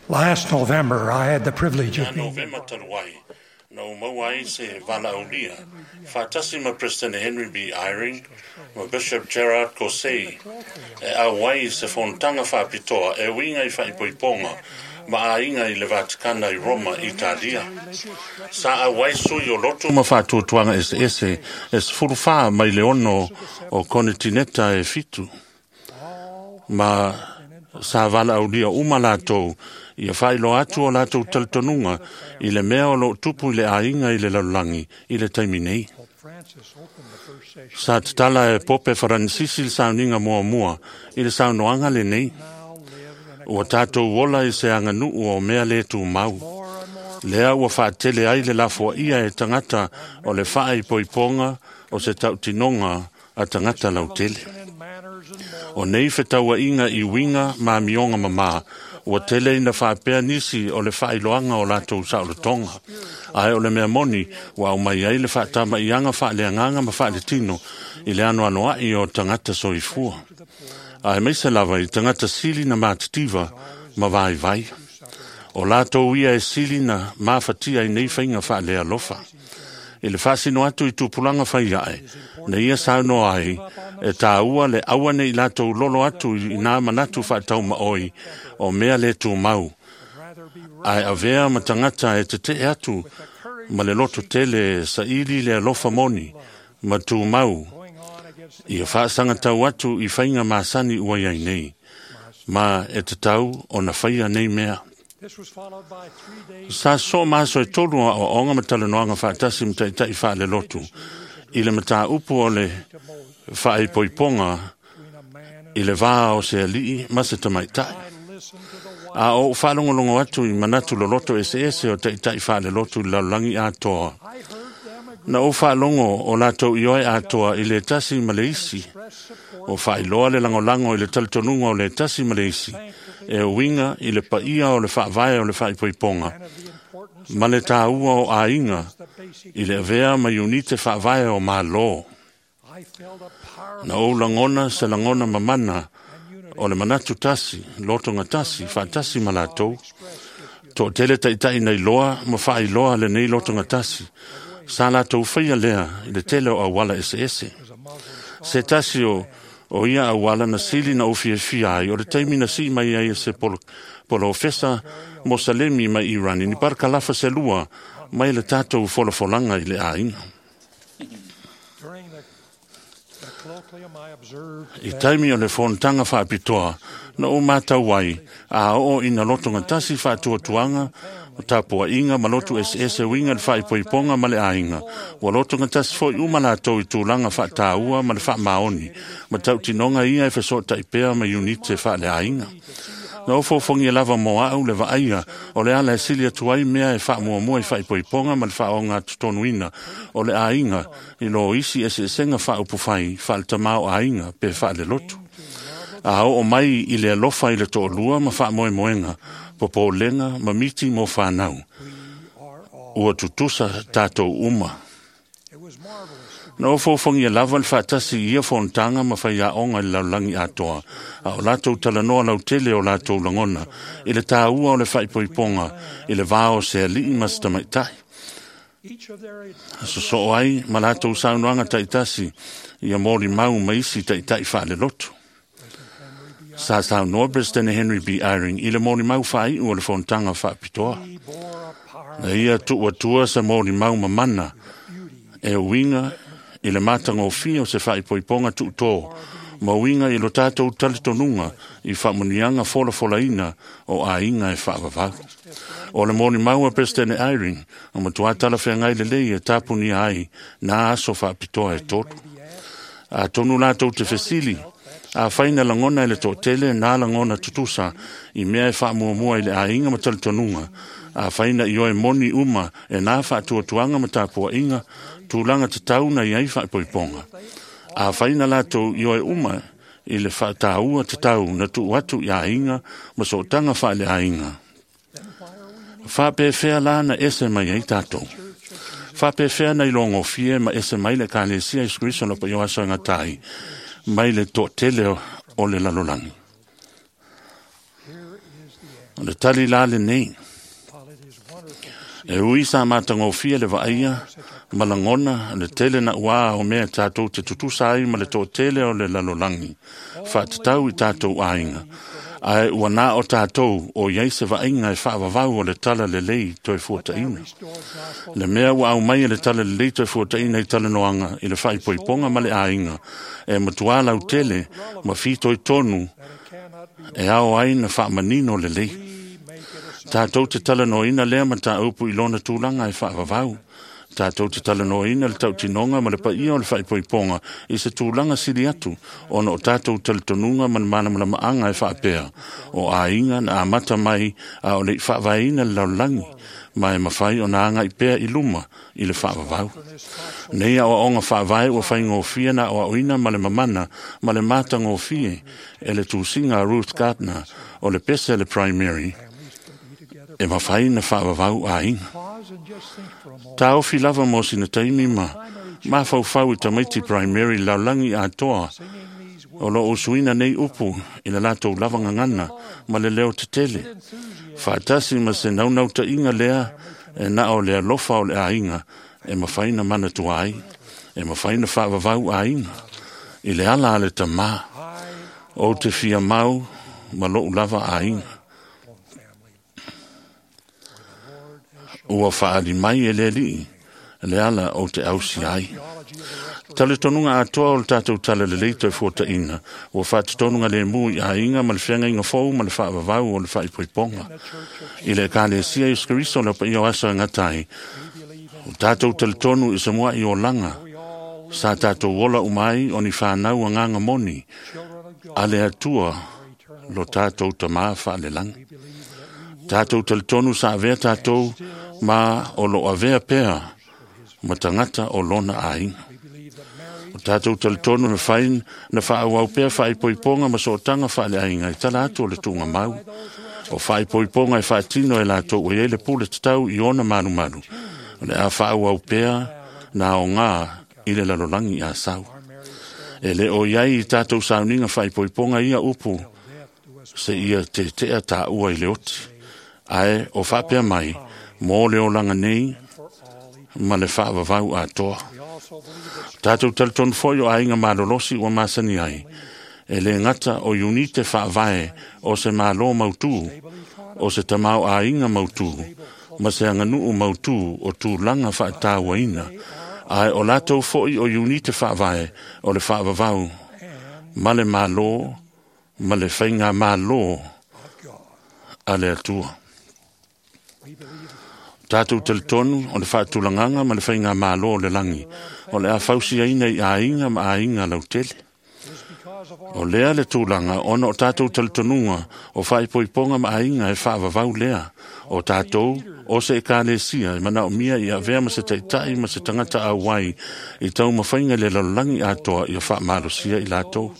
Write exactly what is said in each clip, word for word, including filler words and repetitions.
Last November, I had the privilege Ia of being Novema talu ai, na ou maua ai se valaaulia, faatasi ma President Henry B. Eyring ma Bishop Gerard Caussé, e auai i se fonotaga faapitoa e uiga i faaipoipoga ma aiga i le Vatikana i Roma, Italia. Sa auai sui o lotu ma faatuatuaga eseese e sefulu fa mai le ono o konetineta e fitu. Ma sa valaaulia uma latou ia faailoa atu o latou talitonuga i le mea o loo tupu i le aiga i le lalolagi i le taimi nei. Pope Francis opened the first session. Sa tatala e Pope Faranisisi le sauniga muamua i le saunoaga lenei. Now live in a Ua tatou ola i se aganuu o mea le tumau. more and more Lea ua faatele ai le lafoaia e tagata o le faaipoipoga o se tautinoga a tagata lautele. in manners and morals. O nei fetauaiga i uiga ma amioga mamā, ua tele ina faapea nisi o le faailoaga o latou saolotoga. Ae o le mea moni, ua aumai ai le faatamaiaga faaleagaga ma faaletino i le anoanoai o tagata soifua. Ae maise lava i tagata sili na matitiva ma vaivai. O latou ia e sili na mafatia i nei faiga faalealofa. I le faasino atu i tupulaga fai ae, na ia saunoa ai, e tāua le aua nei latou lolo atu i nā manatu faataumaoi o mea le tumau, Rather be ae avea ma tagata e tetee atu ma le loto tele e saili le alofa moni ma tumau going on against ia faasagatau atu i faiga masani ua iai nei, ma e tatau ona faia nei mea. This was followed by three days Sa soo maso e tolu a oaoga ma talanoaga faatasi ma ta'ita'i faalelotu i le mataupu o le to Moses faaipoipoga between a man and i le vā o se alii ma se tamaita'i. I listened to the A ou faalogologo atu i manatu loloto eseese o ta'ita'i faalelotu i le lalolagi atoa. I heard them agree Na ou faalogo o latou ioe atoa i le tasi ma le isi, express support o faailoa le lagolago i le talitonuga o le tasi ma le isi, e uiga i le paia o le faavae o le faaipoipoga, and of the importance ma le tāua o aiga of the basic i le avea ma iunite faavae o Malo. I felt a powerful Na ou lagona se lagona mamana and unity o le manatu tasi, lotoga tasi, faatasi ma latou. expressed its Toatele ta'ita'i nei loa ma faailoa lenei lotoga tasi. Sa latou faia lea i le tele o auala eseese. as a Muslim Se tasi o, o ia auala na sili na ufiafia ai, o le taimi na sii mai ai e se polo, polofesa Mosalemi mai Irani, ni parakalafa se lua mai le tatou folafolaga i le aiga. During the, the colloquium, I observed I that taimi o le fonotaga faapitoa, na ou matau ai, a oo ina lotoga tasi faatuatuaga, o tapuaiga ma lotu eseese uiga le faaipoipoga ma le aiga. Ua lotoga tasi foi uma latou i tulaga faataua ma le faamaoni, ma tautinoga ia e fesootai pea ma iunite faaleaiga. Na ou fofogia lava mo au le vaaia o le ala e sili atu ai mea e faamuamua i faaipoipoga ma le faaogatotonuina o le aiga i lo isi eseesega faaupufai faaletamā o aiga pe faalelotu. A oo mai i le alofa i le toalua ma faamoemoega, popolega ma miti mo fanau. we are all. Ua tutusa tatou uma. It was marvelous to Na ou fofogia lava le faatasi i ia fonotaga ma faiaoga i le lalolagi atoa, a o latou talanoa lautele o latou lagona, i le tāua o le faaipoipoga, i le vā o se alii ma se tamaita'i. each of their Sosoo ai ma latou saunoaga ta'itasi ia molimau ma isi ta'ita'i faalelotu. Sa saunoa President Henry B. Eyring i le molimau faaiu o le fonotaga faapitoa. he bore a powerful Na ia tuuatua se molimau mamana beauty e uiga i le matagofie o se faaipoipoga tuutō, ma uiga i lo tatou talitonuga i faamuniaga folafolaina o aiga e faavavau. O le molimau a President Eyring, o matuā talafeagai lelei e tapunia ai nā aso faapitoa e tolu. be asked Atonu latou te fesili, a faina lagona i le toatele nā lagona tutusa i mea e faamuamua i le aiga ma talitonuga. A faina i oe moni uma e nā faatuatuaga ma tapuaiga, tulaga tatau na iai faaipoipoga. A faina latou i oe uma i le faataua tatau na tuu atu i aiga ma sootaga faaleaiga. then why are we in Faapefea la na ese mai ai tatou. church of Jesus Faapefea na ilogofie ma ese mai le Ekalesia Iesu Keriso o le paia o aso e gata ai, mai le toatele o le lalolagi. Here O le tali la lenei. E ui sa matagofie le vaaia ma lagona le tele na ua o mea tatou te tutusa ai ma le toatele o le lalolagi faatatau i tatou aiga. Ae ua na o tatou o iai se vaaiga e faavavau o le tala lelei toe fuataina. Le mea ua au mai e le tala lelei toe fuataina i talanoaga i le faaipoipoga ma le aiga e matua lautele ma fitoitonu e ao ai na faamanino lelei. Tatou te talanoaina lea mataupu i lona tulaga e faavavau. Tatou te talanoaina le tautinoga ma le paia o le faaipoipoga i se tulaga sili atu ona o tatou talitonuga ma le malamalamaaga e faapea o aiga na amata mai a o le i faavaeina le lalolagi ma e mafai ona agai pea i luma i le faavavau. Nei aoaoga faavae ua faigofie na aoaoina ma le mamana ma le matagofie e le tusiga a Ruth Gardner o le pese le primary e mafai na faavavau aiga. Taofi lava mo sina taimi ma mafaufau i tamaiti primary lalolagi atoa o loo usuina nei upu i le latou lava gagana ma le leo tetele. Faatasi ma se naunautaiga lea e na o le alofa o le aiga e mafai na manatua ai, e mafai na faavavau aiga i le ala a le tamā. Ou te fia mau ma lou lava aiga. Ua faali mai e le alii le ala o te ausi ai. Talitonuga atoa o le tatou tala lelei toe fuataina, ua faatotonuga lemu i aiga ma le feagaiga fou ma le faavavau o le faaipoipoga. I le Ekalesia Iesu Keriso le paia o aso e gata ai, o tatou talitonu i se mua'i olaga, sa tatou ola uma ai o ni whanau agaga moni, a le Atua lo tatou tamā faalelagi. Tatou talitonu sa avea tatou ma o lo avea pea ma tagata o lona aiga. O tatou talitonu na fai na faaauau pea faaipoipoga ma sootaga faaleaiga i tala atu o le tuugamau. O faaipoipoga e faatino e latou ua iai le pule tatau i ona malumalu. O le a faaauau pea na aoga i le lalolagi a sau. E le o iai i tatou sauniga faaipoipoga ia upu se ia tetea taua i le oti. Ae o faapea mai, mo le olaga nei ma le faavavau atoa. Tatou talitonu foi o aiga malolosi ua masani ai, e le gata o iunite faavae o se malo mautū, o se tamao aiga mautū, ma se aganuu mautū o tulaga faatauaina, ae o latou foi o iunite faavae o le faavavau ma le malo ma le faiga malo a le Atua. Tatou talitonu o le faatulagaga ma le faiga malo o le lagi, o le a fausiaina i aiga ma aiga lautele. O lea le tulaga ona o tatou talitonuga o faaipoipoga ma aiga e faavavau lea. O tatou o se ekalesia e manaomia i avea ma se taitai ma se tagata auai i taumafaiga i le lalolagi atoa ia faamalosia i latou.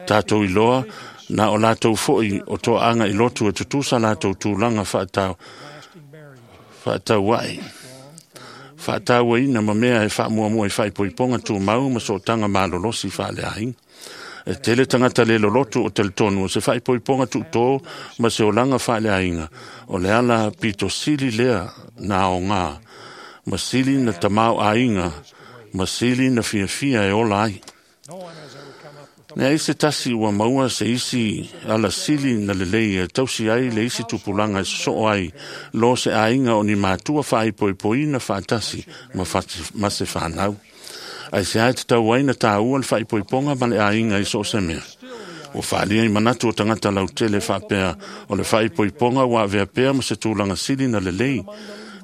Tatou iloa na o latou foi o toaaga i lotu e tutusa latou tulaga faatau faatauai faatauaina ma mea e faamuamua i faaipoipoga tumau ma sootaga malolosi faaleaiga. E tele tagata le lolotu o talitonu o se faaipoipoga tuutō ma se olaga faaleaiga o le ala pito sili lea na aoga ma sili na tamao aiga ma sili na fiafia e ola ai. Leai se tasi ua maua se isi ala sili na lelei e tausi ai le isi tupulaga e sosoo ai lo se aiga o ni matua faaipoipoina faatasi ma, fati, ma se whanau. Ai se ai te tau ai na tāua le faaipoipoga ma le aiga i so o se mea. Ua faalia i manatu o tagata lautele faapea o le faaipoipoga ua avea pea ma se tulaga sili na lelei.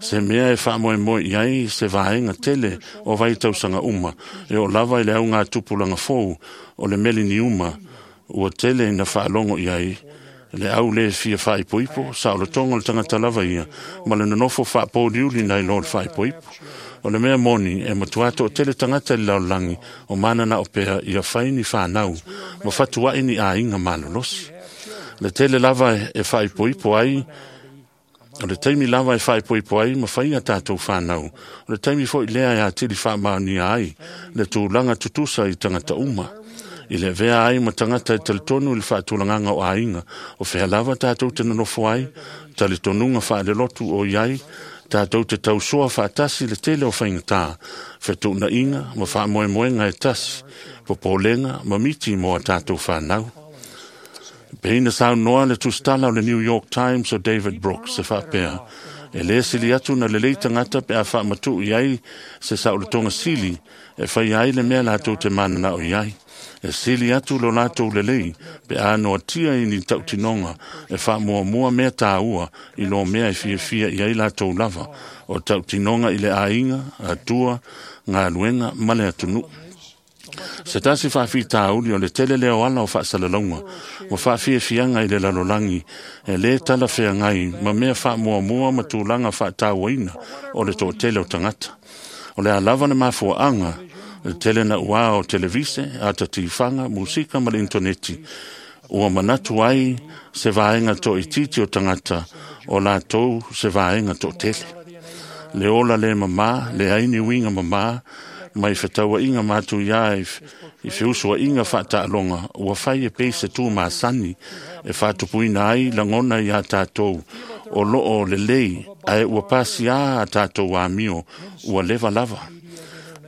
Se mea e faamoemoe i ai se vaega tele o vai tausaga uma e o lava i le auga tupulaga fou o le meleniuma ua tele ina faalogo i ai le au le fia faaipoipo saolotoga o le tagata lava ia ma le nonofo faapouliuli nai lo le faaipoipo. O le mea moni e matua toatele tagata i le lalolagi o mananao pea ia fai ni whanau ma fatuai ni aiga malolosi. Le tele lava e faaipoipo ai o le taimi lava e faaipoipo ai ma fai a tatou whanau. O le taimi foi lea e atili faamaonia ai le tulaga tutusa i tagata uma. I le avea ai ma tagata e talitonu i le faatulagaga o aiga, o fea lava tatou te nonofo ai, talitonuga faalelotu o i ai, tatou te tausoa faatasi le tele o faigata, fetuunaiga ma faamoemoega e tasi, popolega ma miti mo a tatou fanau. Pe ina saunoa le tusitala o le New York Times o David Brooks e faapea, e lē sili atu na lelei tagata pe a faamatuʻu i ai se saolotoga sili e faia ai le mea latou te mananao i ai. E sili atu lo latou lelei pe a noatia i ni tautinoga e faamuamua mea tāua i lo mea e fiafia i ai latou lava o tautinoga i le aiga, atua, galuega ma le atunuu. Se tasi faafitauli o le tele lea o ala o faasalalauga ua faafiafiaga i le lalolagi e lē talafeagai ma mea faamuamua ma tulaga faatauaina o le toatele o tagata. O le a lava le mafuaaga le tele na uā o televise, ata tifaga, musika ma le intaneti, ua manatu ai se vaega toaitiiti o tagata o latou se vaega toatele. Le ola lē mamā, leai ni uiga mamā, mai fetauaiga matuiā i feusuaiga faataaloga ua fai e pei se tū masani e faatupuina ai lagona iā tatou o loo lelei ae ua pasiā a tatou amio ua leva lava.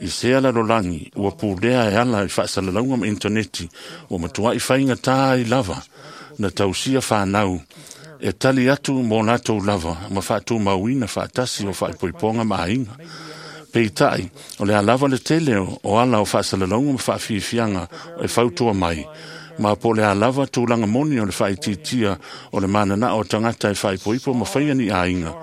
I sea lalolagi ua pulea e ala i faasalalauga ma intaneti ua matuaʻi faigatā ai lava na tausia fanau e tali atu mo latou lava ma faatumauina faatasi o faaipoipoga ma aiga. Peitai, o le a lava le tele o ala o faasalalauga ma faafiafiaga e fautua mai, ma po o le a lava tulaga moni o le faaitiitia o le mananao o tagata e faaipoipo ma faia ni aiga,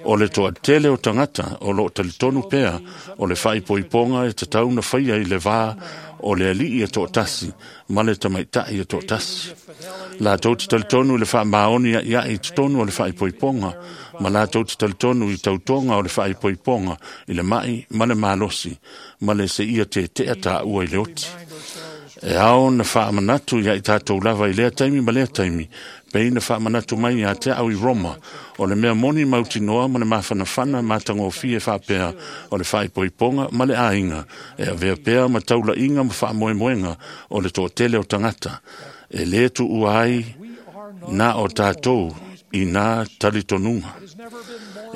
o le toatele o tagata o loo talitonu pea o le faaipoipoga e tatau na faia i le vā o le alii e toatasi ma le tamaitaʻi e toatasi. Latou te talitonu i le faamaoni aiaʻi i totonu o le faaipoipoga, ma latou te talitonu i tautoga o le faaipoipoga i le maʻi ma le malosi, ma le seia tetea taua i le oti. E ao na faamanatu ia i tatou lava i lea taimi ma lea taimi, pei na faamanatu mai iā te au i Roma, o le mea moni mautinoa ma le mafanafana matagofie faapea o le faaipoipoga ma le aiga, e avea pea ma taulaiga ma faamoemoega o le toatele o tagata, e lē tuua ai na o tatou i nā talitonuga.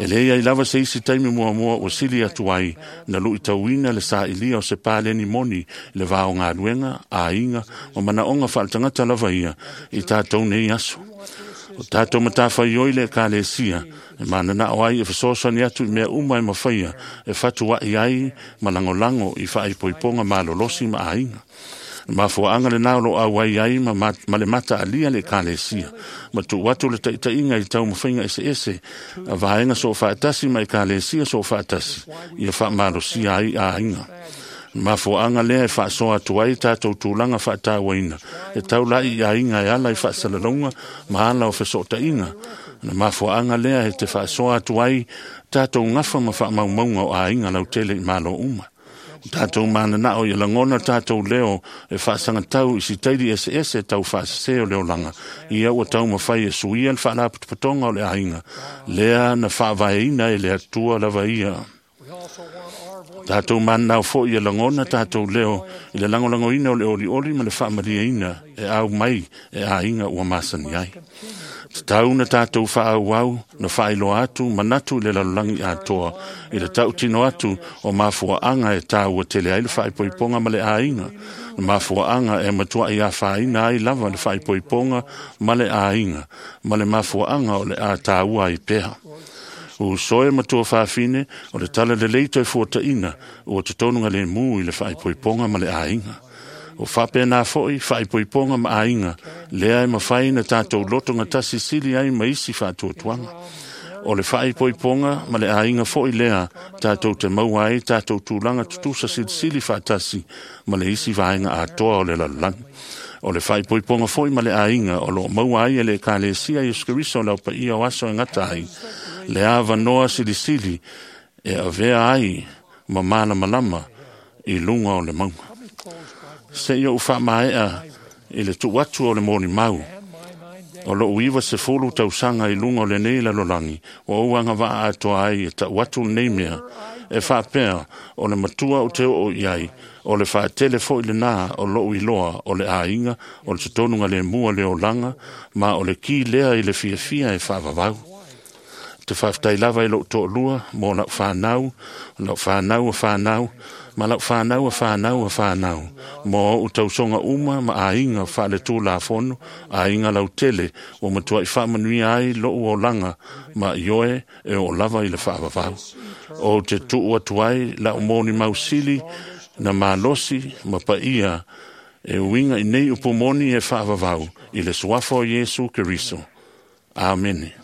E lē ai lava se isi taimi muamua ua sili atu ai na luitauina le saʻilia o se paleni moni i le va o galuega, aiga ma manaoga faaletagata lava ia i tatou nei aso. O tatou matafaioi le ekalesia e mananao ai e fesoasoani atu i mea uma e mafaia e fatuaʻi ai ma lagolago i faaipoipoga malolosi ma aiga. Mafuaaga lenā o loo auai ai ma, ma, ma le mataalia le ekalesia ma tuu atu le taʻitaʻiga i taumafaiga eseese a vaega soofaatasi ma ekalesia soofaatasi ia faamalosia ai aiga. Mafuaaga lea e faasoa atu ai tatou tulaga faatauaina e taulaʻi i aiga e ala i faasalalauga ma ala o fesootaiga. Na mafuaaga lea e te faasoa atu ai tatou gafa ma faamaumauga o aiga lautele i malo uma. Tatou mananao ia lagona tatou leo e faasagatau i sitaili eseese tau faasesē o le olaga, ia ua taumafai e suia le faalapotopotoga o le aiga, lea na faavaeina e le Atua lava ia. Tatou mananao foi ia lagona tatou leo i le lagolagoina o le olioli ma le faamalieina e au mai e aiga ua masani ai. Tatau na tatou faaauau na faailoa atu manatu i le lalolagi atoa i le tautino atu o mafuaaga e tāua tele ai le faaipoipoga ma le aiga, na mafuaaga e matuaʻi afaina ai lava le faaipoipoga ma le aiga, ma le mafuaaga o le a tāua ai pea. Uso e matua fafine o le tala lelei toe fuataʻina ua totonu galemu i le faaipoipoga ma le aiga. O faapena foi faaipoipoga ma aiga lea e mafai na tatou loto gatasi sili ai ma isi faatuatuaga. O le faaipoipoga ma le aiga foi lea tatou te maua ai tatou tulaga tutusa silisili faatasi ma le isi vaega atoa o le lalolagi. O le faaipoipoga foi ma le aiga o loo maua ai e le ekalesia Iesu Keriso o le aupaia o aso e gata ai, le avanoa silisili e avea ai ma malamalama i luga o le mauga. Seia ou faamaea i le tuu atu o le molimau O lou iva sefulu tausaga i luga o lenei lalolagi, ua ou agavaa atoa ai e tau atu lenei mea, e faapea o le matua ou te oo i ai, o le faatele foi lenā o lou iloa o le aiga, o le totonuga lemua le olaga, ma o le ki lea i le fiafia e faavavau. Te faafetai lava i lou toalua mo lau fanau, lau fanau a fanau, ma lau fanau a fanau a fanau, mo ou tausoga uma ma aiga faale-tulafono, aiga lautele, ua matuai faamanuia ai lou olaga ma ioe e oo lava i le faavavau. Ou te tuu atu ai lau molimau sili na malosi ma paia e uiga i nei upu moni e faavavau i le suafa o Iesu Keriso. Amene.